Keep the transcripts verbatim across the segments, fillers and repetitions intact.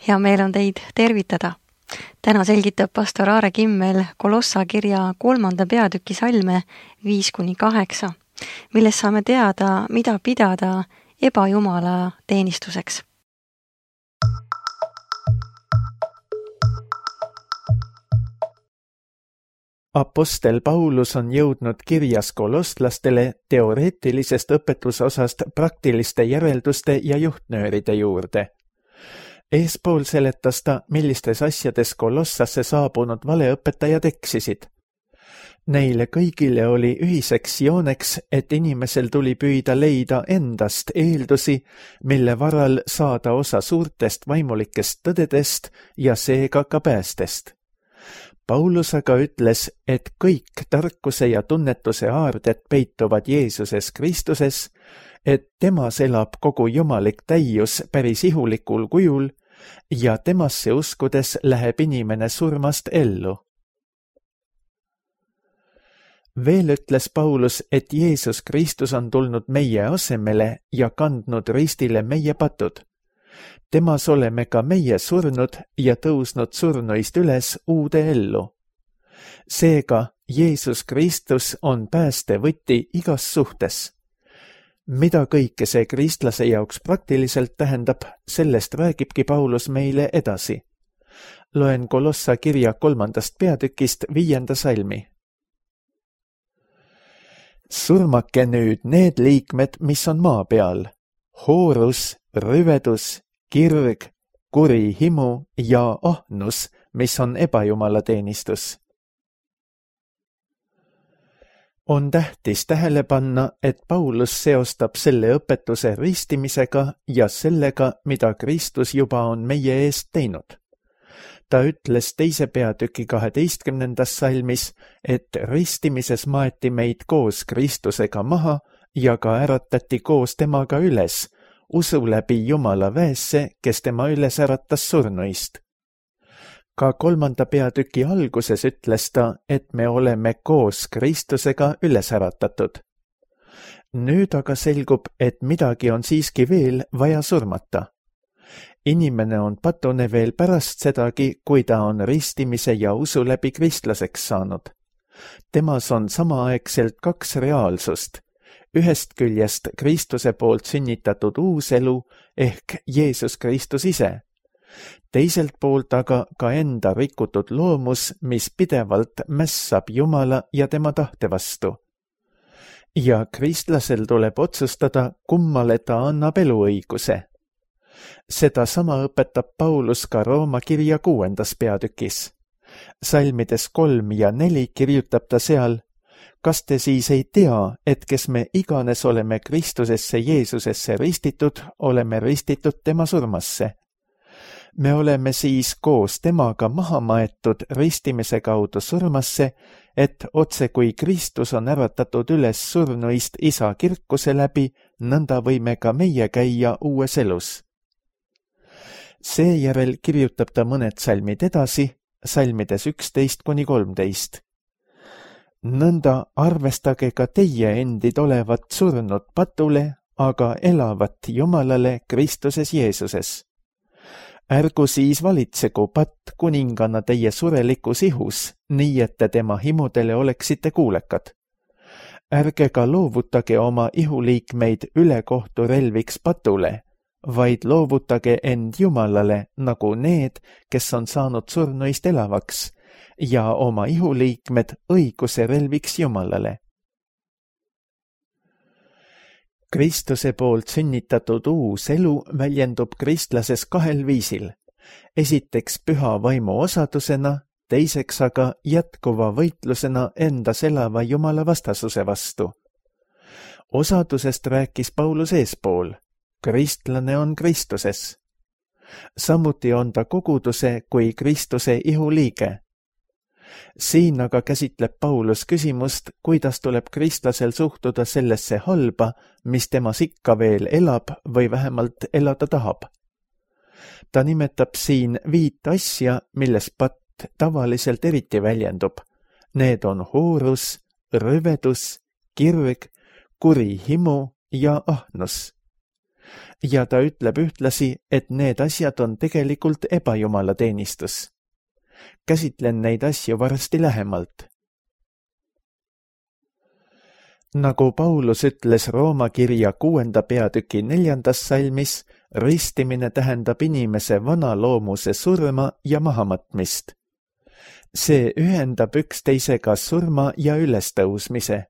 Hea meel on teid tervitada. Täna selgitab pastor Aare Kimmel Kolossa kirja kolmanda peatüki salme viis kuni kaheksa, milles saame teada, mida pidada ebajumala teenistuseks. Apostel Paulus on jõudnud kirjas kolostlastele teoreetilisest õpetusosast praktiliste järelduste ja juhtnööride juurde. Eespool seletas ta, millistes asjades Kolossasse saabunud valeõpetajad eksisid. Neile kõigile oli ühiseks jooneks, et inimesel tuli püüda leida endast eeldusi, mille varal saada osa suurtest vaimulikest tõdedest ja seega ka päästest. Paulus aga ütles, et kõik tarkuse ja tunnetuse aarded peituvad Jeesuses Kristuses, et temas elab kogu jumalik täius päris ihulikul kujul ja temasse uskudes läheb inimene surmast ellu. Veel ütles Paulus, et Jeesus Kristus on tulnud meie asemele ja kandnud ristile meie patud. Temas oleme ka meie surnud ja tõusnud surnuist üles uude ellu. Seega Jeesus Kristus on päästevõti igas suhtes. Mida kõike see kristlase jaoks praktiliselt tähendab, sellest räägibki Paulus meile edasi. Loen Kolossa kirja kolmandast peatükist viienda salmi. Surmake nüüd need liikmed, mis on maa peal, hoorus, rüvedus, kirg, kuri himu ja ahnus, mis on ebajumala teenistus. On tähtis tähele panna, et Paulus seostab selle õpetuse ristimisega ja sellega, mida Kristus juba on meie eest teinud. Ta ütles teise peatüki kaheteistkümnendas salmis, et ristimises maeti meid koos Kristusega maha ja ka äratati koos temaga üles, usu läbi Jumala väesse, kes tema üles äratas surnuist. Ka kolmanda peatüki alguses ütles ta, et me oleme koos Kristusega üles äratatud. Nüüd aga selgub, et midagi on siiski veel vaja surmata. Inimene on patune veel pärast sedagi, kui ta on ristimise ja usu läbi kristlaseks saanud. Temas on samaaegselt kaks reaalsust. Ühest küljest Kristuse poolt sünnitatud uus elu ehk Jeesus Kristus ise. Teiselt poolt aga ka enda rikutud loomus, mis pidevalt mässab Jumala ja tema tahte vastu. Ja kristlasel tuleb otsustada, kummale ta annab eluõiguse. Seda sama õpetab Paulus ka Rooma kirja kuuendas peatükis. Salmides kolm ja neli kirjutab ta seal, kas te siis ei tea, et kes me iganes oleme Kristusesse Jeesusesse ristitud, oleme ristitud tema surmasse. Me oleme siis koos temaga maha maetud ristimise kaudu surmasse, et otse kui Kristus on äratatud üles surnuist isa kirkuse läbi, nõnda võime ka meie käia uues elus. Seejärel kirjutab ta mõned salmid edasi, salmides üksteist kuni kolmteist. Nõnda arvestage ka teie endid olevat surnud patule, aga elavat Jumalale Kristuses Jeesuses. Ärgu siis valitsegu patt kuningana teie surelikus ihus, nii et te tema himudele oleksite kuulekad. Ärge ka loovutage oma ihuliikmeid ülekohtu relviks patule, vaid loovutage end Jumalale nagu need, kes on saanud surnuist elavaks, ja oma ihuliikmed õiguse relviks Jumalale. Kristuse poolt sünnitatud uus elu väljendub kristlases kahel viisil. Esiteks püha vaimu osadusena, teiseks aga jätkuva võitlusena endas elava Jumala vastasuse vastu. Osadusest rääkis Paulus eespool. Kristlane on Kristuses. Samuti on ta koguduse kui Kristuse ihuliige. Siin aga käsitleb Paulus küsimust, kuidas tuleb kristlasel suhtuda sellesse halba, mis temas ikka veel elab või vähemalt elada tahab. Ta nimetab siin viit asja, milles patt tavaliselt eriti väljendub. Need on hoorus, rüvedus, kirg, kuri himu ja ahnus. ja ta ütleb ühtlasi, et need asjad on tegelikult ebajumala teenistus. Käsitlen neid asju varsti lähemalt. Nagu Paulus ütles Rooma kirja kuuenda peatüki neljandas salmis, ristimine tähendab inimese vana loomuse surma ja mahamatmist. See ühendab üksteisega surma ja ülestõusmise.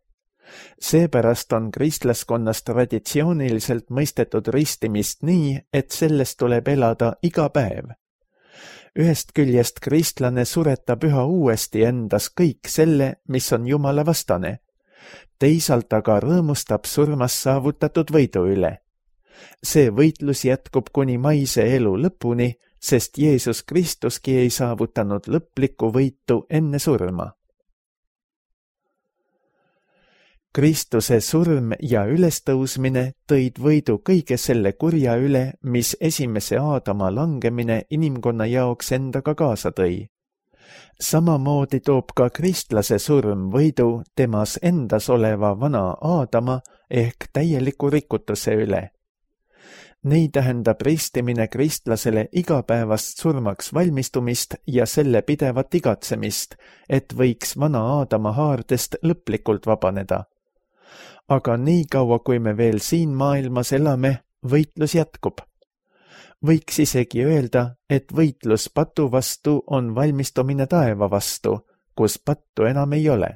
Seepärast on kristlaskonnas traditsiooniliselt mõistetud ristimist nii, et sellest tuleb elada iga päev. Ühest küljest kristlane suretab üha uuesti endas kõik selle, mis on Jumala vastane. Teisalt aga rõõmustab surmas saavutatud võidu üle. See võitlus jätkub kuni maise elu lõpuni, sest Jeesus Kristuski ei saavutanud lõplikku võitu enne surma. Kristuse surm ja ülestõusmine tõid võidu kõige selle kurja üle, mis esimese Aadama langemine inimkonna jaoks endaga kaasa tõi. Samamoodi toob ka kristlase surm võidu temas endas oleva vana Aadama ehk täieliku rikutuse üle. Nii tähendab ristimine kristlasele igapäevast surmaks valmistumist ja selle pidevat igatsemist, et võiks vana Aadama haardest lõplikult vabaneda. Aga nii kaua, kui me veel siin maailmas elame, võitlus jätkub. Võiks isegi öelda, et võitlus patu vastu on valmistumine taeva vastu, kus pattu enam ei ole.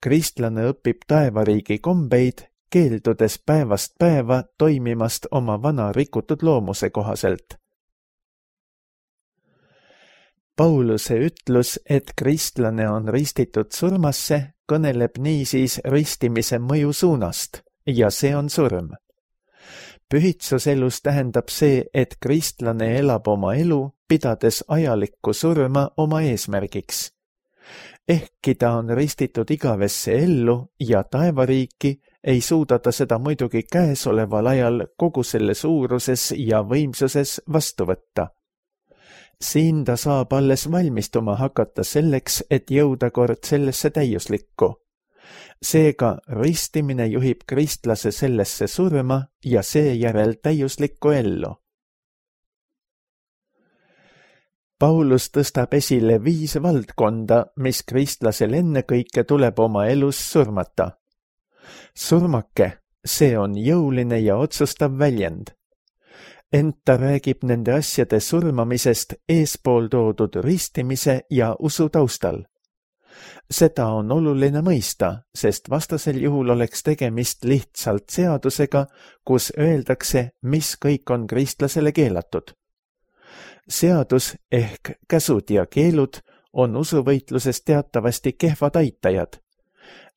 Kristlane õpib taevariigi kombeid, keeldudes päevast päeva toimimast oma vana rikutud loomuse kohaselt. Pauluse ütlus, et kristlane on ristitud surmasse, kõneleb niisiis ristimise mõju suunast ja see on surm. Pühitsuselus tähendab see, et kristlane elab oma elu, pidades ajalikku surma oma eesmärgiks. Ehkki ta on ristitud igavesse ellu ja taevariiki, ei suuda ta seda muidugi käesoleval ajal kogu selle suuruses ja võimsuses vastu võtta. Siin ta saab alles valmistuma hakata selleks, et jõuda kord sellesse täiuslikku. Seega ristimine juhib kristlase sellesse surma ja seejärel täiuslikku ellu. Paulus tõstab esile viis valdkonda, mis kristlasel ennekõike tuleb oma elus surmata. Surmake, see on jõuline ja otsustav väljend. Ent ta räägib nende asjade surmamisest eespool toodud ristimise ja usu taustal. Seda on oluline mõista, sest vastasel juhul oleks tegemist lihtsalt seadusega, kus öeldakse, mis kõik on kristlasele keelatud. Seadus ehk käsud ja keelud on usuvõitluses teatavasti kehvad aitajad.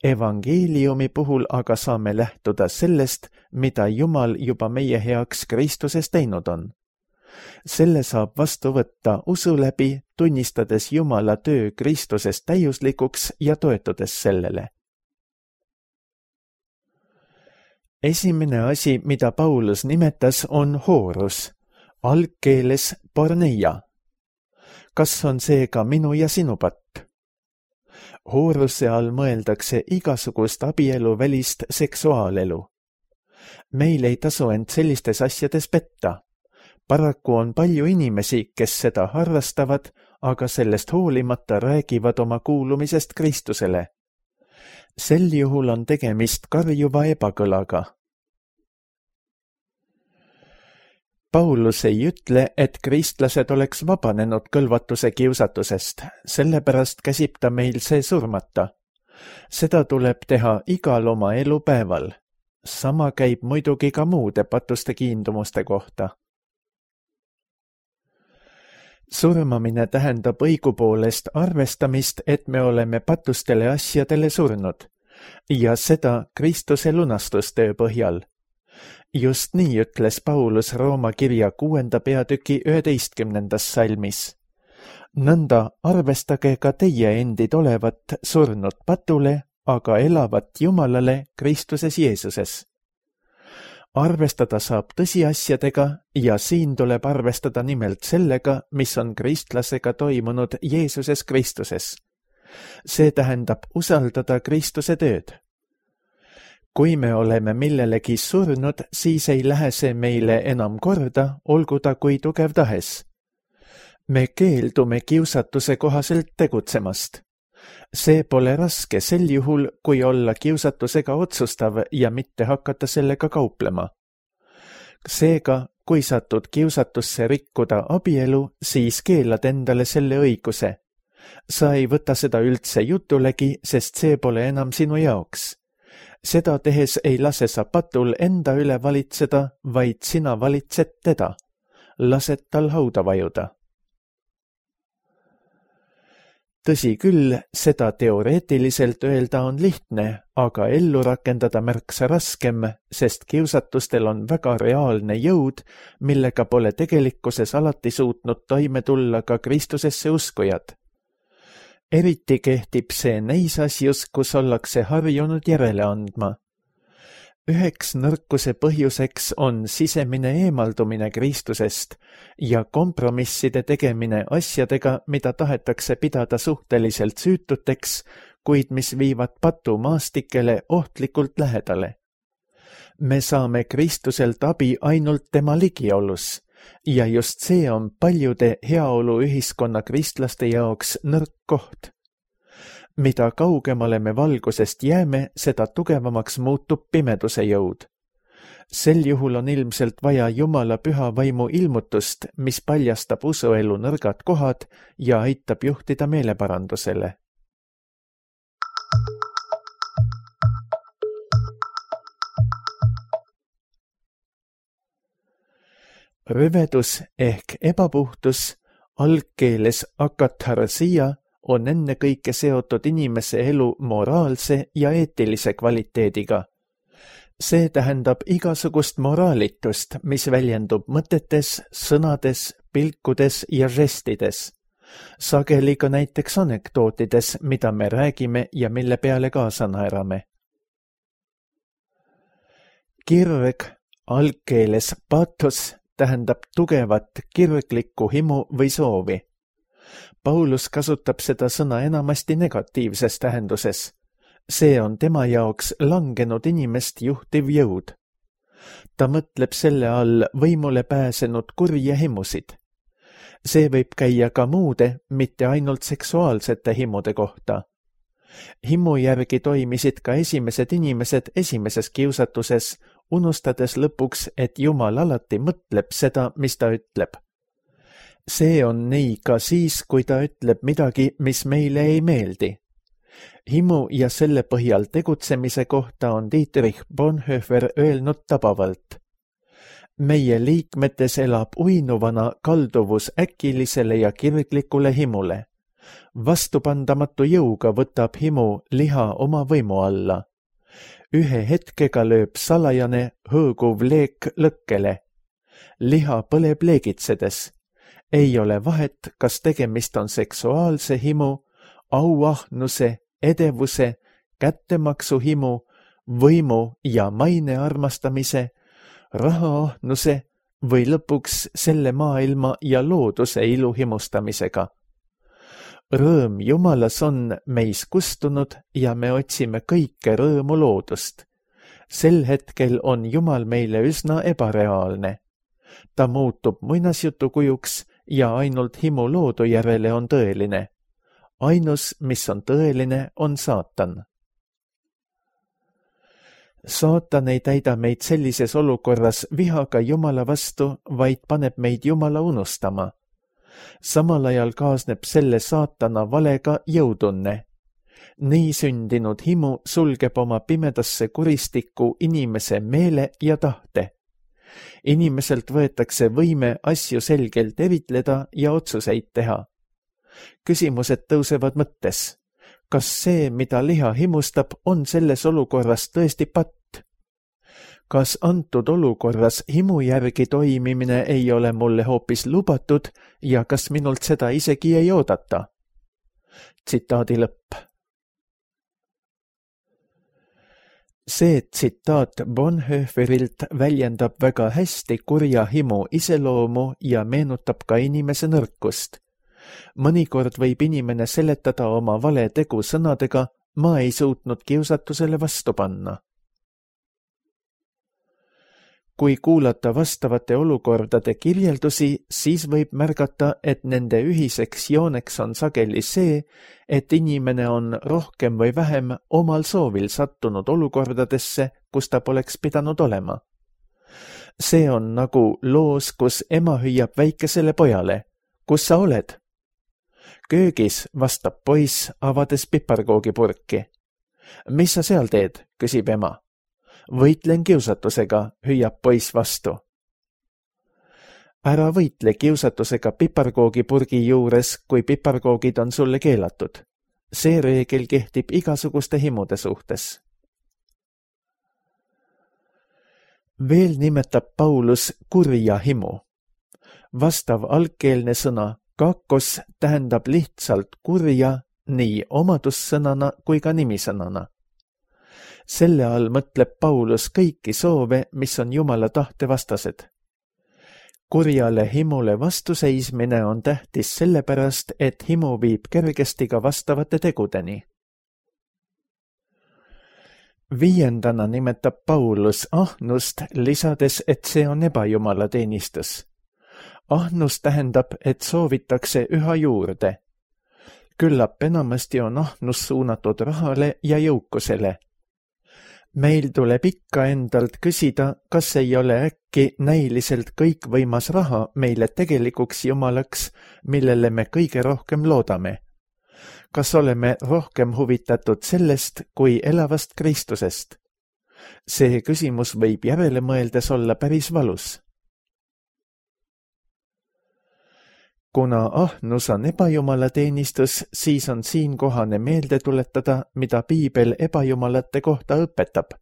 Evangeeliumi puhul aga saame lähtuda sellest, mida Jumal juba meie heaks Kristuses teinud on. Selle saab vastu võtta usu läbi, tunnistades Jumala töö Kristuses täiuslikuks ja toetudes sellele. Esimene asi, mida Paulus nimetas, on hoorus, algkeeles porneia. Kas on see ka minu ja sinu patt? Hooruse all mõeldakse igasugust abielu välist seksuaalelu. Meil ei tasu end sellistes asjades petta. Paraku on palju inimesi, kes seda harrastavad, aga sellest hoolimata räägivad oma kuulumisest Kristusele. Sel juhul on tegemist karjuva ebakõlaga. Paulus ei ütle, et kristlased oleks vabanenud kõlvatuse kiusatusest, sellepärast käsib ta meil see surmata. Seda tuleb teha igal oma elupäeval. Sama käib muidugi ka muude patuste kiindumuste kohta. Surmamine tähendab õigupoolest arvestamist, et me oleme patustele asjadele surnud, ja seda Kristuse lunastustöö põhjal. Just nii ütles Paulus Rooma kirja kuuenda peatüki üheteistkümnendas salmis. Nõnda arvestage ka teie endid olevat surnud patule, aga elavat Jumalale Kristuses Jeesuses. Arvestada saab tõsiasjadega ja siin tuleb arvestada nimelt sellega, mis on kristlasega toimunud Jeesuses Kristuses. See tähendab usaldada Kristuse tööd. kui me oleme millelegi surnud, siis ei lähe see meile enam korda, olgu ta kui tugev tahes. Me keeldume kiusatuse kohaselt tegutsemast. See pole raske sel juhul, kui olla kiusatusega otsustav ja mitte hakata sellega kauplema. Seega, kui satud kiusatusse rikkuda abielu, siis keelad endale selle õiguse. Sa ei võta seda üldse jutulegi, sest see pole enam sinu jaoks. Seda tehes ei lase sa patul enda üle valitseda, vaid sina valitsed teda. Lased tal hauda vajuda. Tõsi küll, seda teoreetiliselt öelda on lihtne, aga ellu rakendada märksa raskem, sest kiusatustel on väga reaalne jõud, millega pole tegelikkuses alati suutnud toime tulla ka Kristusesse uskujad. Eriti kehtib see neis asjus, kus ollakse harjunud järele andma. Üheks nõrkuse põhjuseks on sisemine eemaldumine Kristusest ja kompromisside tegemine asjadega, mida tahetakse pidada suhteliselt süütuteks, kuid mis viivad patu maastikele ohtlikult lähedale. Me saame Kristuselt abi ainult tema ligiolus ja just see on paljude heaoluühiskonna kristlaste jaoks nõrk koht. Mida kaugemale me valgusest jääme, seda tugevamaks muutub pimeduse jõud. Sel juhul on ilmselt vaja Jumala püha vaimu ilmutust, mis paljastab usuelu nõrgad kohad ja aitab juhtida meeleparandusele. Rüvedus ehk ebapuhtus, algkeeles akatharsia, on ennekõike seotud inimese elu moraalse ja eetilise kvaliteediga. See tähendab igasugust moraalitust, mis väljendub mõtetes, sõnades, pilkudes ja žestides. Sageli ka näiteks anekdootides, mida me räägime ja mille peale kaasa naerame. Kirg, algkeeles pathos, tähendab tugevat kirglikku himu või soovi. Paulus kasutab seda sõna enamasti negatiivses tähenduses. See on tema jaoks langenud inimest juhtiv jõud. Ta mõtleb selle all võimule pääsenud kurje himusid. See võib käia ka muude, mitte ainult seksuaalsete himude kohta. Himu järgi toimisid ka esimesed inimesed esimeses kiusatuses, unustades lõpuks, et Jumal alati mõtleb seda, mis ta ütleb. See on nii ka siis, kui ta ütleb midagi, mis meile ei meeldi. Himu ja selle põhjal tegutsemise kohta on Dietrich Bonhoeffer öelnud tabavalt. Meie liikmetes elab uinuvana kalduvus äkilisele ja kirglikule himule. Vastupandamatu jõuga võtab himu liha oma võimu alla. Ühe hetkega lööb salajane hõõguv leek lõkkele. Liha põleb leegitsedes. Ei ole vahet, kas tegemist on seksuaalse himu, auahnuse, edevuse, kättemaksuhimu, võimu ja maine armastamise, rahaahnuse või lõpuks selle maailma ja looduse ilu himustamisega. Rõõm Jumalas on meis kustunud ja me otsime kõike rõõmu loodust. Sel hetkel on Jumal meile üsna ebareaalne. Ta muutub muinasjutu kujuks ja ainult himu loodu järele on tõeline. Ainus, mis on tõeline, on saatan. Saatan ei täida meid sellises olukorras vihaga Jumala vastu, vaid paneb meid Jumala unustama. Samal ajal kaasneb selle saatana valega jõutunne. Nii sündinud himu sulgeb oma pimedasse kuristikku inimese meele ja tahte. Inimeselt võetakse võime asju selgelt eritleda ja otsuseid teha. Küsimused tõusevad mõttes. Kas see, mida liha himustab, on selles olukorras tõesti patt? Kas antud olukorras himu järgi toimimine ei ole mulle hoopis lubatud ja kas minult seda isegi ei oodata? Tsitaadi lõpp. See tsitaat Bonhoefferilt väljendab väga hästi kurja himu iseloomu ja meenutab ka inimese nõrkust. Mõnikord võib inimene seletada oma vale tegu sõnadega, ma ei suutnud kiusatusele vastu panna. kui kuulata vastavate olukordade kirjeldusi, siis võib märgata, et nende ühiseks jooneks on sageli see, et inimene on rohkem või vähem omal soovil sattunud olukordadesse, kus ta poleks pidanud olema. See on nagu loos, kus ema hüüab väikesele pojale, kus sa oled? Köögis, vastab poiss, avades piparkoogipurki. Mis sa seal teed, küsib ema. Võitlen kiusatusega, hüüab poiss vastu. Ära võitle kiusatusega piparkoogipurgi juures, kui piparkoogid on sulle keelatud. See reegel kehtib igasuguste himude suhtes. Veel nimetab Paulus kurja himu. Vastav algkeelne sõna kakos tähendab lihtsalt kurja nii omadussõnana kui ka nimisõnana. Selle all mõtleb Paulus kõiki soove, mis on Jumala tahte vastased. Kurjale himule vastuseismine on tähtis sellepärast, et himu viib kergesti ka vastavate tegudeni. Viiendana nimetab Paulus ahnust, lisades, et see on ebajumala teenistus. Ahnus tähendab, et soovitakse üha juurde. Küllap enamasti on ahnus suunatud rahale ja jõukusele. Meil tuleb ikka endalt küsida, kas ei ole äkki näiliselt kõikvõimas raha meile tegelikuks jumalaks, millele me kõige rohkem loodame. Kas oleme rohkem huvitatud sellest kui elavast Kristusest? See küsimus võib järele mõeldes olla päris valus. Kuna ahnus on ebajumala teenistus, siis on siin kohane meelde tuletada, mida piibel ebajumalate kohta õpetab.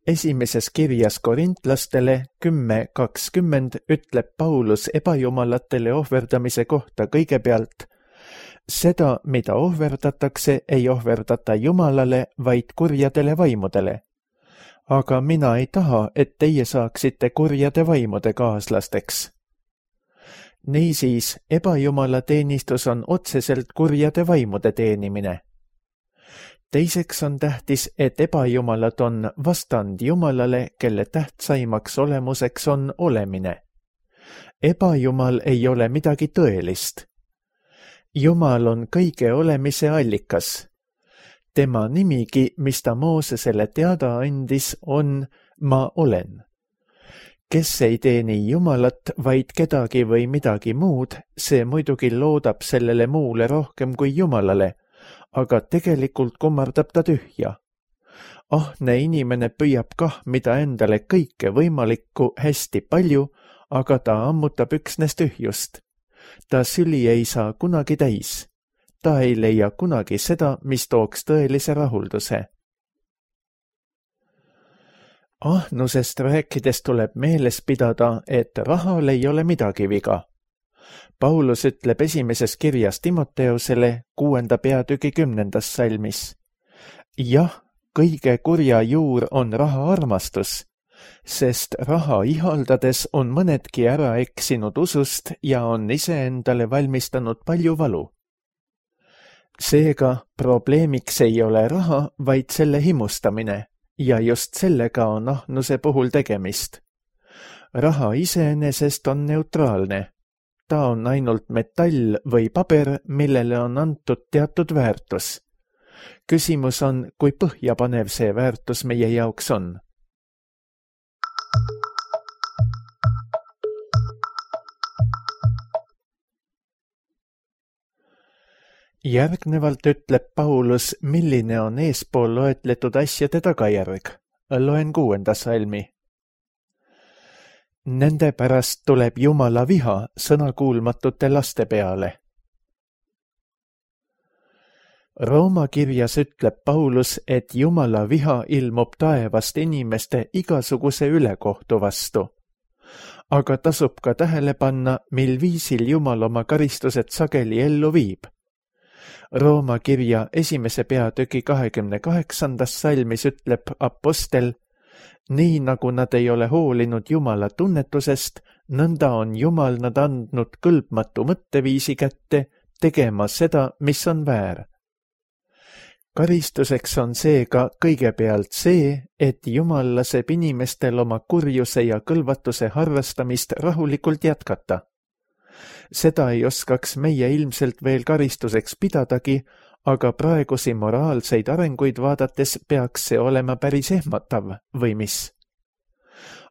Esimeses kirjas korintlastele kümme kakskümmend ütleb Paulus ebajumalatele ohverdamise kohta kõigepealt: seda, mida ohverdatakse, ei ohverdata Jumalale, vaid kurjadele vaimudele. Aga mina ei taha, et teie saaksite kurjade vaimude kaaslasteks. Niisiis, ebajumala teenistus on otseselt kurjade vaimude teenimine. Teiseks on tähtis, et ebajumalad on vastand Jumalale, kelle tähtsaimaks olemuseks on olemine. Ebajumal ei ole midagi tõelist. Jumal on kõige olemise allikas. Tema nimigi, mis ta Moosesele teada andis, on ma olen. Kes ei teeni Jumalat, vaid kedagi või midagi muud, see muidugi loodab sellele muule rohkem kui Jumalale, aga tegelikult kummardab ta tühja. Ahne inimene püüab kah mida endale kõike võimalikku hästi palju, aga ta ammutab üksnes tühjust. Ta süli ei saa kunagi täis. Ta ei leia kunagi seda, mis tooks tõelise rahulduse. Ahnusest rääkides tuleb meeles pidada, et rahal ei ole midagi viga. Paulus ütleb esimeses kirjas Timoteusele kuuenda peatüki kümnendas salmis. Jah, kõige kurja juur on raha armastus, sest raha ihaldades on mõnedki ära eksinud usust ja on iseendale valmistanud palju valu. Seega probleemiks ei ole raha, vaid selle himustamine. Ja just sellega on ahnuse puhul tegemist. Raha iseenesest on neutraalne. Ta on ainult metall või paber, millele on antud teatud väärtus. Küsimus on, kui põhjapanev see väärtus meie jaoks on. Järgnevalt ütleb Paulus, milline on eespool loetletud asjade tagajärg. Loen kuuenda salmi. Nende pärast tuleb Jumala viha sõnakuulmatute laste peale. Rooma kirjas ütleb Paulus, et Jumala viha ilmub taevast inimeste igasuguse ülekohtu vastu. Aga tasub ka tähele panna, mil viisil Jumal oma karistused sageli ellu viib. Rooma kirja esimese peatüki kahekümne kaheksandas salmis ütleb apostel, nii nagu nad ei ole hoolinud Jumala tunnetusest, nõnda on Jumal nad andnud kõlbmatu mõtteviisi kätte, tegema seda, mis on väär. Karistuseks on seega kõigepealt see, et Jumal laseb inimestel oma kurjuse ja kõlvatuse harrastamist rahulikult jätkata. Seda ei oskaks meie ilmselt veel karistuseks pidadagi, aga praegusi moraalseid arenguid vaadates peaks see olema päris ehmatav või mis.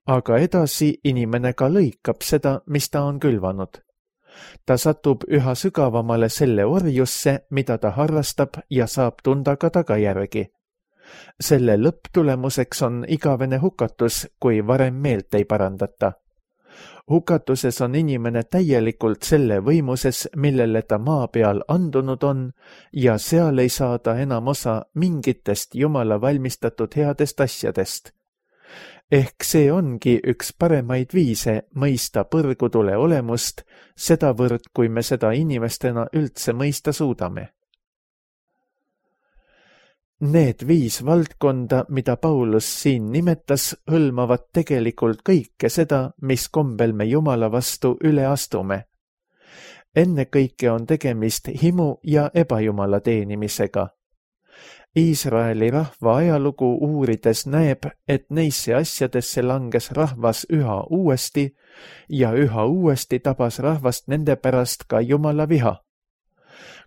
Aga edasi inimene ka lõikab seda, mis ta on külvanud. Ta satub üha sügavamale selle orjusse, mida ta harrastab ja saab tunda ka tagajärgi. Selle lõpptulemuseks on igavene hukatus, kui varem meelt ei parandata. Hukatuses on inimene täielikult selle võimuses, millele ta maa peal andunud on, ja seal ei saa ta enam osa mingitest Jumala valmistatud headest asjadest. Ehk see ongi üks paremaid viise mõista põrgutule olemust, sedavõrd, kui me seda inimestena üldse mõista suudame. Need viis valdkonda, mida Paulus siin nimetas, hõlmavad tegelikult kõike seda, mis kombel me Jumala vastu üle astume. Ennekõike on tegemist himu ja ebajumala teenimisega. Iisraeli rahva ajalugu uurides näeb, et neisse asjadesse langes rahvas üha uuesti ja üha uuesti tabas rahvast nende pärast ka Jumala viha.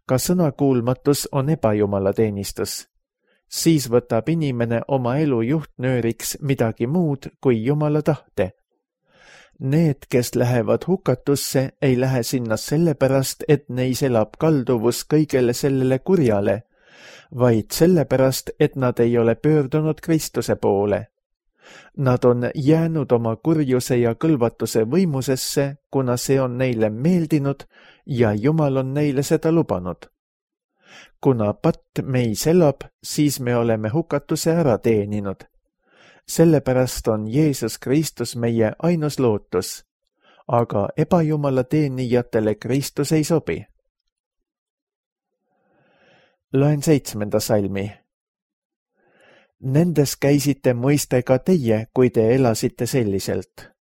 Ka sõnakuulmatus on ebajumala teenistus. Siis võtab inimene oma elu juhtnööriks midagi muud kui Jumala tahte. Need, kes lähevad hukatusse, ei lähe sinna sellepärast, et neis elab kalduvus kõigele sellele kurjale, vaid sellepärast, et nad ei ole pöördunud Kristuse poole. Nad on jäänud oma kurjuse ja kõlvatuse võimusesse, kuna see on neile meeldinud ja Jumal on neile seda lubanud. Kuna patt meis elab, siis me oleme hukatuse ära teeninud. Sellepärast on Jeesus Kristus meie ainus lootus, aga ebajumala teenijatele Kristus ei sobi. Loen seitsmenda salmi. Nendes käisite mõiste ka teie, kui te elasite selliselt.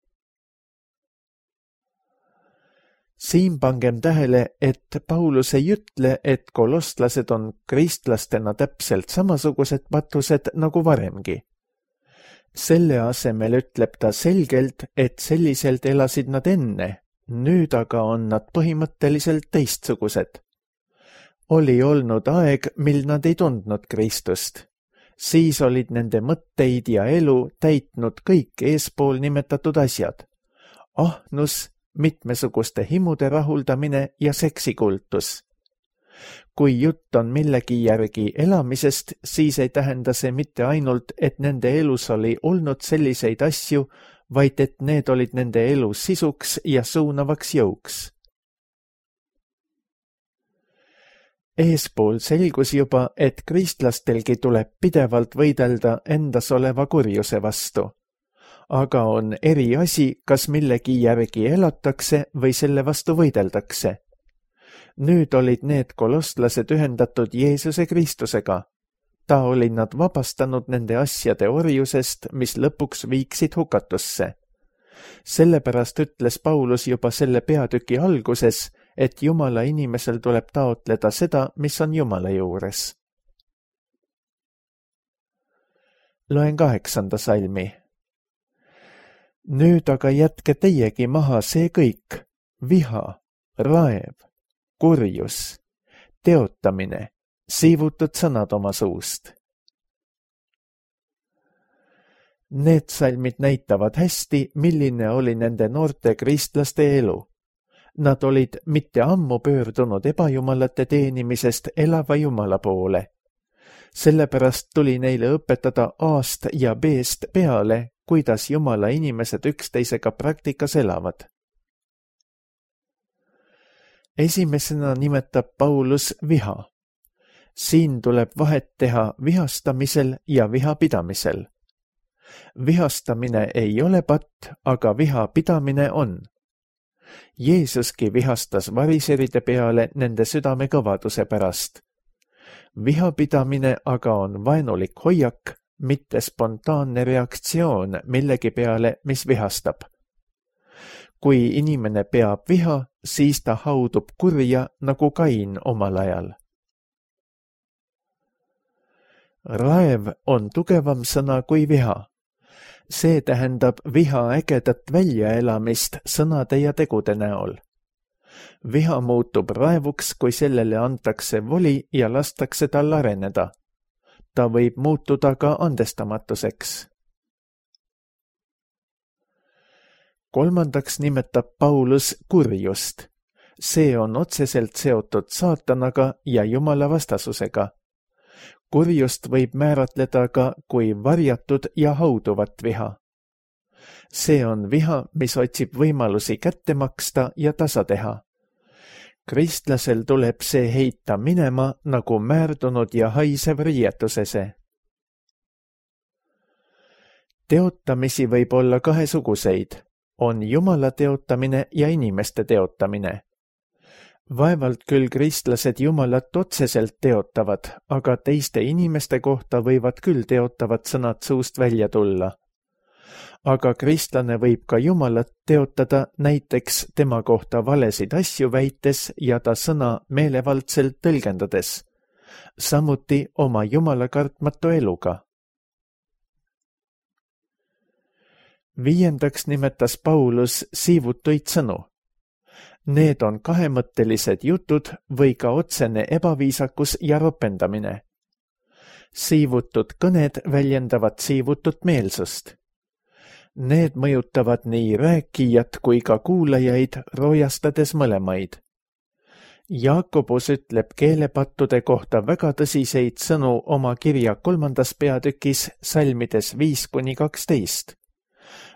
Siin pangem tähele, et Paulus ei ütle, et kolostlased on kristlastena täpselt samasugused patused nagu varemgi. Selle asemel ütleb ta selgelt, et selliselt elasid nad enne, nüüd aga on nad põhimõtteliselt teistsugused. Oli olnud aeg, mil nad ei tundnud Kristust. Siis olid nende mõtteid ja elu täitnud kõik eespool nimetatud asjad. Ahnus, mitmesuguste himude rahuldamine ja seksikultus. Kui jutt on millegi järgi elamisest, siis ei tähenda see mitte ainult, et nende elus oli olnud selliseid asju, vaid et need olid nende elu sisuks ja suunavaks jõuks. Eespool selgus juba, et kristlastelgi tuleb pidevalt võidelda endas oleva kurjuse vastu. Aga on eri asi, kas millegi järgi elatakse või selle vastu võideldakse. Nüüd olid need kolostlased ühendatud Jeesuse Kristusega. Ta oli nad vabastanud nende asjade orjusest, mis lõpuks viiksid hukatusse. Sellepärast ütles Paulus juba selle peatüki alguses, et Jumala inimesel tuleb taotleda seda, mis on Jumala juures. Loen kaheksanda salmi. Nüüd aga jätke teiegi maha see kõik, viha, raev, kurjus, teotamine, siivutud sõnad oma suust. Need salmid näitavad hästi, milline oli nende noorte kristlaste elu. Nad olid mitte ammu pöördunud ebajumalate teenimisest elava Jumala poole. Sellepärast tuli neile õpetada A-st ja B-st peale, kuidas Jumala inimesed üksteisega praktikas elavad. Esimesena nimetab Paulus viha. Siin tuleb vahet teha vihastamisel ja vihapidamisel. Vihastamine ei ole patt, aga vihapidamine on. Jeesuski vihastas variseride peale nende südame kõvaduse pärast. Vihapidamine aga on vaenulik hoiak, mitte spontaanne reaktsioon millegi peale, mis vihastab. Kui inimene peab viha, siis ta haudub kurja nagu Kain omal ajal. Raev on tugevam sõna kui viha. See tähendab viha ägedat väljaelamist sõnade ja tegude näol. Viha muutub raevuks, kui sellele antakse voli ja lastakse tal areneda. Ta võib muutuda ka andestamatuseks. Kolmandaks nimetab Paulus kurjust. See on otseselt seotud saatanaga ja Jumala vastasusega. Kurjust võib määratleda ka kui varjatud ja hauduvat viha. See on viha, mis otsib võimalusi kätte maksta ja tasa teha. Kristlasel tuleb see heita minema nagu määrdunud ja haisev riietusese. Teotamisi võib olla kahesuguseid. On Jumala teotamine ja inimeste teotamine. Vaevalt küll kristlased Jumalat otseselt teotavad, aga teiste inimeste kohta võivad küll teotavad sõnad suust välja tulla. Aga kristlane võib ka Jumalat teotada näiteks tema kohta valesid asju väites ja ta sõna meelevaldselt tõlgendades, samuti oma Jumala kartmatu eluga. Viiendaks nimetas Paulus siivutuid sõnu. Need on kahemõttelised jutud või ka otsene ebaviisakus ja ropendamine. Siivutud kõned väljendavad siivutut meelsust. Need mõjutavad nii rääkijat kui ka kuulajaid, roojastades mõlemaid. Jaakobus ütleb keelepattude kohta väga tõsiseid sõnu oma kirja kolmandas peatükis salmides viis kuni kaksteist.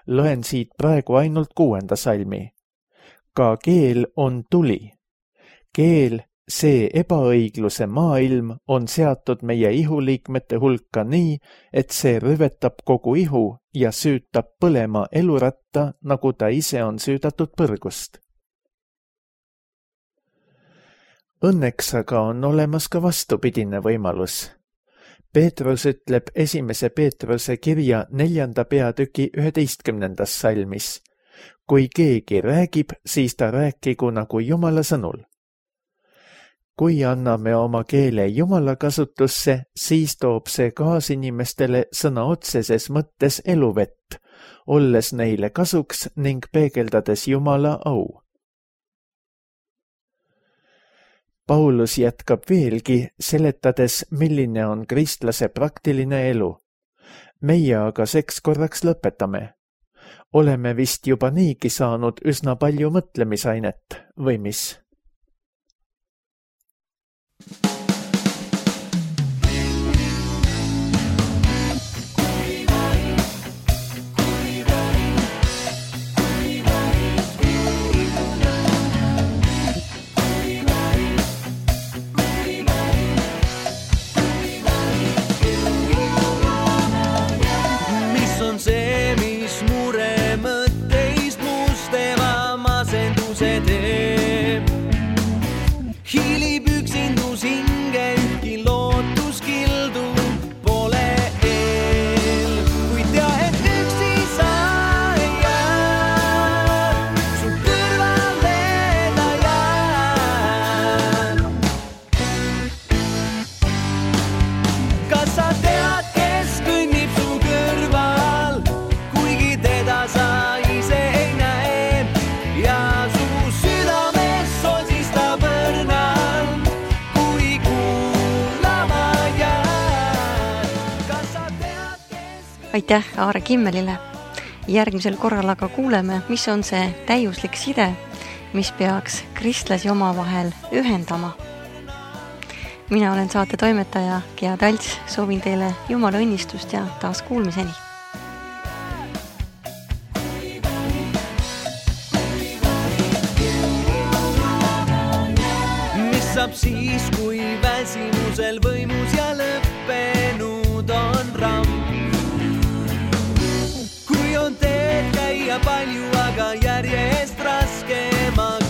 Loen siit praegu ainult kuuenda salmi. Ka keel on tuli. Keel, see ebaõigluse maailm, on seatud meie ihuliikmete hulka nii, et see rüvetab kogu ihu ja süütab põlema eluratta, nagu ta ise on süüdatud põrgust. Õnneks aga on olemas ka vastupidine võimalus. Peetrus ütleb esimese Peetruse kirja neljanda peatüki üheteistkümnendas salmis. Kui keegi räägib, siis ta rääkigu nagu Jumala sõnul. Kui anname oma keele Jumala kasutusse, siis toob see kaasinimestele sõna otseses mõttes eluvett, olles neile kasuks ning peegeldades Jumala au. Paulus jätkab veelgi, seletades, milline on kristlase praktiline elu. Meie aga seks korraks lõpetame. Oleme vist juba niigi saanud üsna palju mõtlemisainet, või mis? Aitäh Aare Kimmelile. Järgmisel korral aga kuuleme, mis on see täiuslik side, mis peaks kristlasi omavahel ühendama. Mina olen saate toimetaja Gea Talts, soovin teile Jumala õnnistust ja taas kuulmiseni. Mis saab siis, kui väsimusel võimus ja lõppenud on ramm? Kui on teed käia palju, aga järjest raskemaks